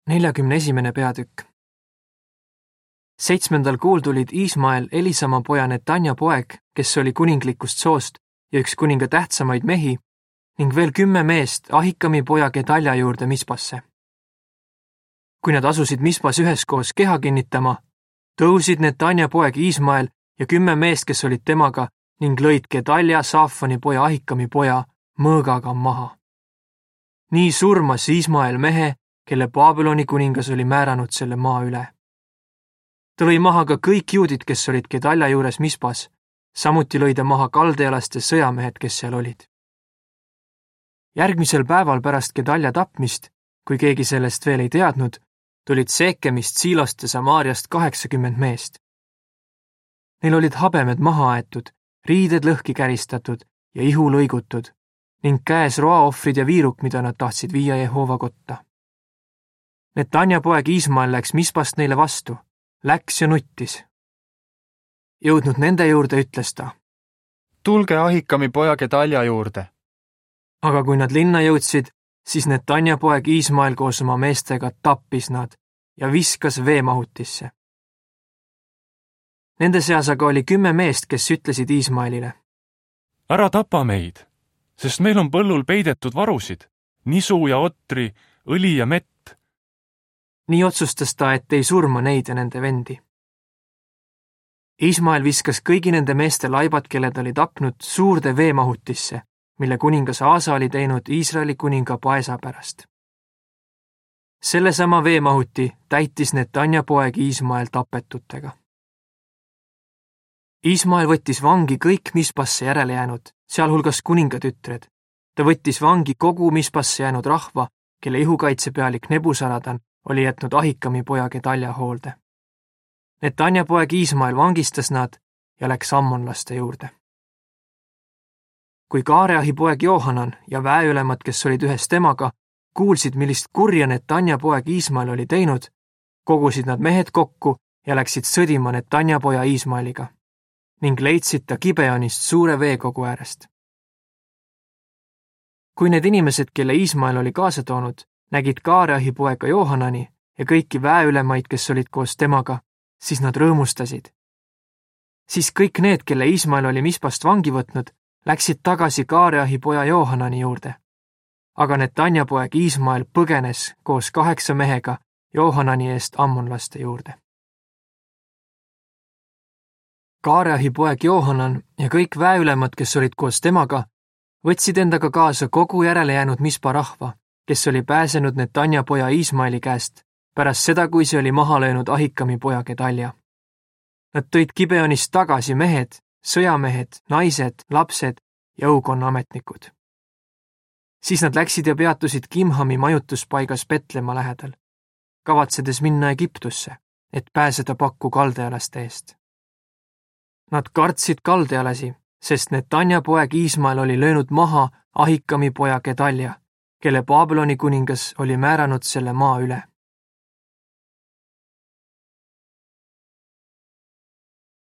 41. peatükk. 7. kuul tulid Iismael Elisama poja Netanja poeg, kes oli kuninglikust soost ja üks kuninga tähtsamaid mehi, ning veel 10 meest Ahikami poja Gedalja juurde Mispasse. Kui nad asusid Mispas üheskoos keha kinnitama, tõusid Netanja poeg Iismael ja 10 meest, kes olid temaga, ning lõid Gedalja Saafani poja Ahikami poja mõõgaga maha. Nii surmas Iismael mehe, kelle Babyloni kuningas oli määranud selle maa üle. Ta lõi maha ka kõik juudid, kes olid Gedalja juures Mispas, samuti lõi ta maha kaldealaste sõjamehed, kes seal olid. Järgmisel päeval pärast Gedalja tapmist, kui keegi sellest veel ei teadnud, tulid Seekemist, Siilost ja Samaariast 80 meest. Neil olid habemed maha aetud, riided lõhki käristatud ja ihu lõigutud ning käes roaohvrid ja viiruk, mida nad tahtsid viia Jehova kotta. Netanja poeg Iismael läks Mispast neile vastu, läks ja nuttis. Jõudnud nende juurde, ütles ta: Tulge Ahikami poja Gedalja juurde. Aga kui nad linna jõudsid, siis Netanja poeg Iismael koos oma meestega tappis nad ja viskas veemahutisse. Nende seas aga oli 10 meest, kes ütlesid Iismaelile: Ära tapa meid, sest meil on põllul peidetud varusid, nisu ja otri, õli ja mett. Nii otsustas ta, et ei surma neid ja nende vendi. Iismael viskas kõigi nende meeste laibad, kelle ta oli tapnud, suurde veemahutisse, mille kuningas Aasa oli teinud Iisraeli kuninga Paesa pärast. Sellesama veemahuti täitis Netanja poeg Iismael tapetutega. Iismael võttis vangi kõik Mispasse järele jäänud, sealhulgas kuningatütred. Ta võttis vangi kogu Mispasse jäänud rahva, kelle ihukaitsepealik Nebusaradan oli jätnud Ahikami poja Gedalja hoolde. Netanja poeg Iismael vangistas nad ja läks ammonlaste juurde. Kui Kaareahi poeg Johanan ja väeülemad, kes olid ühes temaga, kuulsid, millist kurja Netanja poeg Iismael oli teinud, kogusid nad mehed kokku ja läksid sõdima Netanja poja Iismaeliga ning leidsid ta Gibeonist suure veekogu äärest. Kui need inimesed, kelle Iismael oli kaasa toonud, nägid Kaareahi poega Johanani ja kõiki väeülemaid, kes olid koos temaga, siis nad rõõmustasid. Siis kõik need, kelle Iismael oli Mispast vangi võtnud, läksid tagasi Kaareahi poja Johanani juurde. Aga Netanja poeg Iismael põgenes koos 8 mehega Johanani eest ammonlaste juurde. Kaareahi poeg Johanan ja kõik väeülemad, kes olid koos temaga, võtsid endaga kaasa kogu järele jäänud Mispa rahva, kes oli pääsenud Netanja poja Iismaeli käest pärast seda, kui see oli maha löönud Ahikami poja Gedalja. Nad tõid Gibeonist tagasi mehed, sõjamehed, naised, lapsed ja õukonna ametnikud. Siis nad läksid ja peatusid Kimhami majutuspaigas Betlema lähedal, kavatsedes minna Egiptusse, et pääseda pakku kaldealaste eest. Nad kartsid kaldealasi, sest Netanja poeg Iismael oli löönud maha Ahikami poja Gedalja, kelle Babyloni kuningas oli määranud selle maa üle.